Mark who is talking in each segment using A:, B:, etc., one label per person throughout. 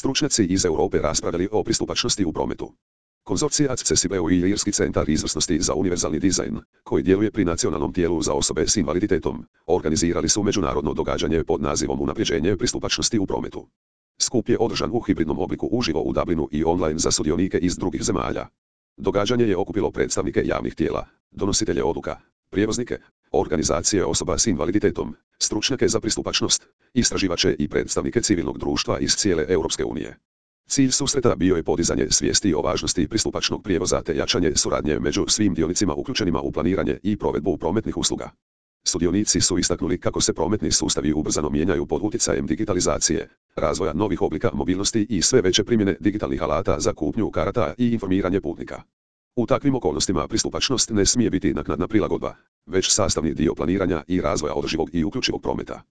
A: stručnjaci iz Europe raspravljali o pristupačnosti u prometu. Konzorcija Accessibleu i Irski centar izvrsnosti za univerzalni dizajn, koji djeluje pri nacionalnom tijelu za osobe s invaliditetom, organizirali su međunarodno događanje pod nazivom Unapređenje pristupačnosti u prometu. Skup je održan u hibridnom obliku uživo u Dublinu i online za sudionike iz drugih zemalja. Događanje je okupilo predstavnike javnih tijela, donositelje odluka, prijevoznike, organizacije osoba s invaliditetom, stručnjake za pristupačnost, istraživače i predstavnike civilnog društva iz cijele Europske unije. Cilj susreta bio je podizanje svijesti o važnosti pristupačnog prijevoza te jačanje suradnje među svim dionicima uključenima u planiranje i provedbu prometnih usluga. Sudionici su istaknuli kako se prometni sustavi ubrzano mijenjaju pod utjecajem digitalizacije, razvoja novih oblika mobilnosti i sve veće primjene digitalnih alata za kupnju karata i informiranje putnika. U takvim okolnostima pristupačnost ne smije biti naknadna prilagodba, već sastavni dio planiranja i razvoja održivog i uključivog prometa.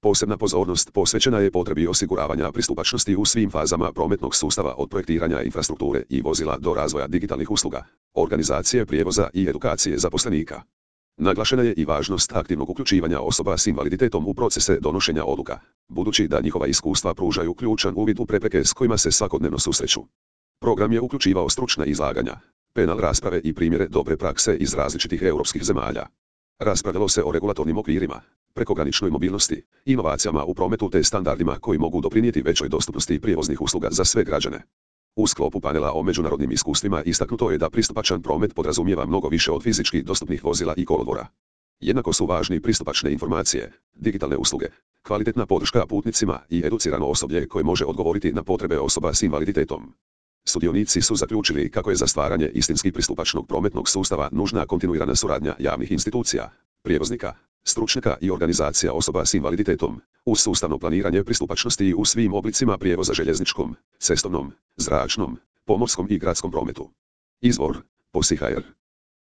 A: Posebna pozornost posvećena je potrebi osiguravanja pristupačnosti u svim fazama prometnog sustava od projektiranja infrastrukture i vozila do razvoja digitalnih usluga, organizacije prijevoza i edukacije zaposlenika. Naglašena je i važnost aktivnog uključivanja osoba s invaliditetom u procese donošenja odluka, budući da njihova iskustva pružaju ključan uvid u prepreke s kojima se svakodnevno susreću. Program je uključivao stručna izlaganja, panel rasprave i primjere dobre prakse iz različitih europskih zemalja. Raspravljalo se o regulatornim okvirima, prekograničnoj mobilnosti, inovacijama u prometu te standardima koji mogu doprinijeti većoj dostupnosti prijevoznih usluga za sve građane. U sklopu panela o međunarodnim iskustvima istaknuto je da pristupačan promet podrazumijeva mnogo više od fizički dostupnih vozila i kolodvora. Jednako su važni pristupačne informacije, digitalne usluge, kvalitetna podrška putnicima i educirano osoblje koje može odgovoriti na potrebe osoba s invaliditetom. Sudionici su zaključili kako je za stvaranje istinski pristupačnog prometnog sustava nužna kontinuirana suradnja javnih institucija, prijevoznika, stručnjaka i organizacija osoba s invaliditetom, uz sustavno planiranje pristupačnosti u svim oblicima prijevoza željezničkom, cestovnom, zračnom, pomorskom i gradskom prometu. Izvor: POSI.hr